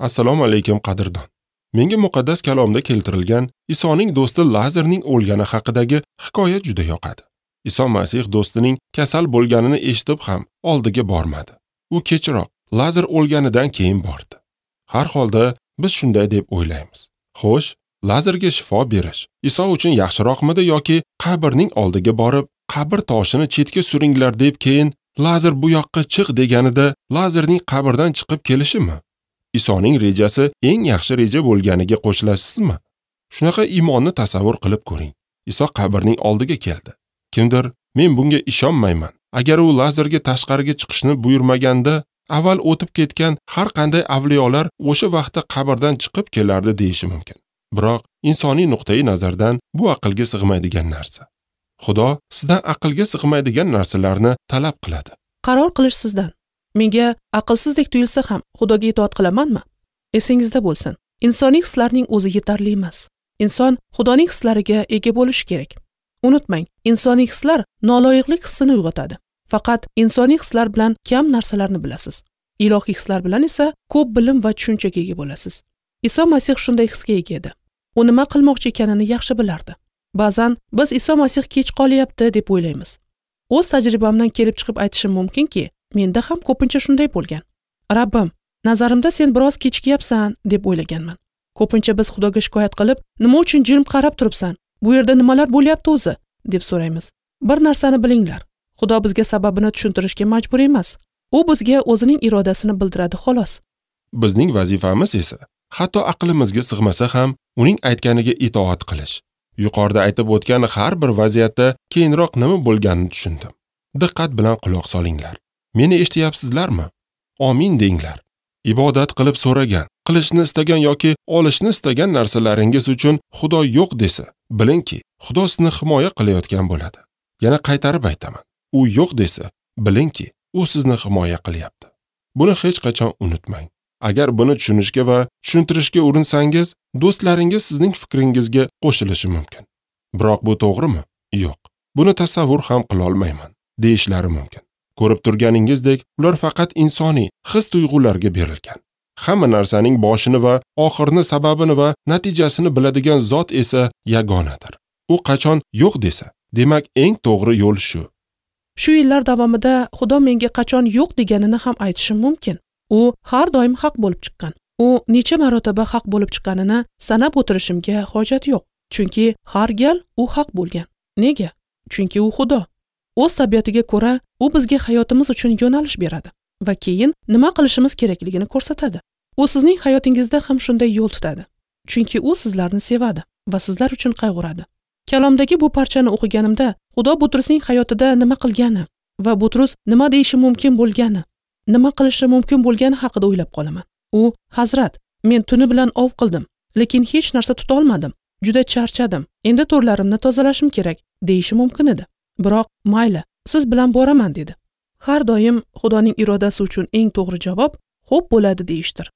Assalomu alaykum qadrdon. Menga muqaddas kalomda keltirilgan Isoning do'sti Lazarning o'lgani haqidagi hikoya juda yoqadi. Iso Masih do'stining kasal bo'lganini eshitib ham oldiga bormadi. U kechroq Lazar o'lganidan keyin bordi. Har holda biz shunday deb o'ylaymiz. Xo'sh, Lazarga shifo berish Iso uchun yaxshiroqmidi yoki qabrning oldiga borib, qabr toshini chetga suringlar deb keyin Lazar bu yoqqa chiq deganida Lazarning qabrdan chiqib kelishimi? Isoning rejasi eng yaxshi reja bo'lganiga qo'shilasizmi? Shunaqa iymonni tasavvur qilib ko'ring. Iso qabrning oldiga keldi. Kimdir, men bunga ishonmayman. Agar u Lazarga tashqariga chiqishni buyurmaganda, avval o'tib ketgan har qanday avliyolar o'sha vaqtda qabrdan chiqib kelardi deyishi mumkin. Biroq insoniy nuqtai nazardan bu aqlga sig'maydigan narsa. Xudo sizdan aqlga sig'maydigan narsalarni talab qiladi. Qaror qilish sizdan. Menga aqlsizdek tuyulsa ham Xudoga itoat qilamanmi? Esingizda bo'lsin, insoniy hislarning o'zi yetarli emas. Inson Xudoning hislariga ega bo'lishi kerak. Unutmang, insoniy hislar noloyiqlik hissini uyg'otadi. Faqat insoniy hislar bilan kam narsalarni bilasiz. Ilohiy hislar bilan esa ko'p bilim va tushunchaga ega bo'lasiz. Iso Masih shunday hisga ega edi. U nima qilmoqchi ekanini yaxshi bilardi. Ba'zan biz Iso Masih kech qolyapti deb o'ylaymiz. O'z tajribamdan kelib chiqib aytishim mumkinki, menda ham ko'pincha shunday bo'lgan. Rabbim, nazarimda sen biroz kechikyapsan deb o'ylaganman. Ko'pincha biz Xudoga shikoyat qilib, nima uchun jim qarab turibsan? Bu yerda nimalar bo'lyapti o'zi? Deb so'raymiz. Bir narsani bilinglar. Xudo bizga sababini tushuntirishga majbur emas. U bizga o'zining irodasini bildiradi xolos. Bizning vazifamiz esa hatto aqlimizga sig'masa ham uning aytganiga itoat qilish. Yuqorida aytib o'tgan har bir vaziyatda keyinroq nima bo'lganini tushundim. Diqqat bilan quloq solinglar. Meni eshityapsizlarmi? Amin denglar. Ibodat qilib so'ragan, qilishni istagan yoki olishni istagan narsalaringiz uchun Xudo yo'q desa, bilingki, Xudo sizni himoya qilayotgan bo'ladi. Yana qaytarib aytaman. U yo'q desa, bilingki, u sizni himoya qilyapti. Buni hech qachon unutmang. Agar buni tushunishga va tushuntirishga urinsangiz, do'stlaringiz sizning fikringizga qo'shilishi mumkin. Biroq bu to'g'rimi? Yo'q. Buni tasavvur ham qila olmayman, deyishlari mumkin. Ko'rib turganingizdek, ular faqat insoniy his-tuyg'ularga berilgan. Hamma narsaning boshini va oxirini, sababini va natijasini biladigan zot esa yagonadir. U qachon yo'q desa, demak eng to'g'ri yo'l shu. Shu yillar davomida Xudo menga qachon yo'q deganini ham aytishim mumkin. U har doim haq bo'lib chiqqan. U necha marotaba haq bo'lib chiqqanini sanab o'tirishimga hojat yo'q. Chunki har gal u haq bo'lgan. Nega? Chunki u Xudo. O'z tabiatiga ko'ra u bizga hayotimiz uchun yo'nalish beradi va keyin nima qilishimiz kerakligini ko'rsatadi. U sizning hayotingizda ham shunday yo'l tutadi. Chunki u sizlarni sevadi va sizlar uchun qayg'uradi. Kalomdagi bu parchani o'qiganimda Xudo Butrusning hayotida nima qilgani va Butrus nima deyishi mumkin bo'lgani, nima qilishi mumkin bo'lgani haqida o'ylab qolaman. U, "Hazrat, men tuni bilan ov qildim, lekin hech narsa tuta olmadim. Juda charchadim. Endi to'rlarimni tozalashim kerak", deyishi mumkin edi. Biroq, "Mayli, siz bilan boraman", dedi. Har doim Xudoning irodasi uchun eng to'g'ri javob "Xo'p bo'ladi" deyishdir.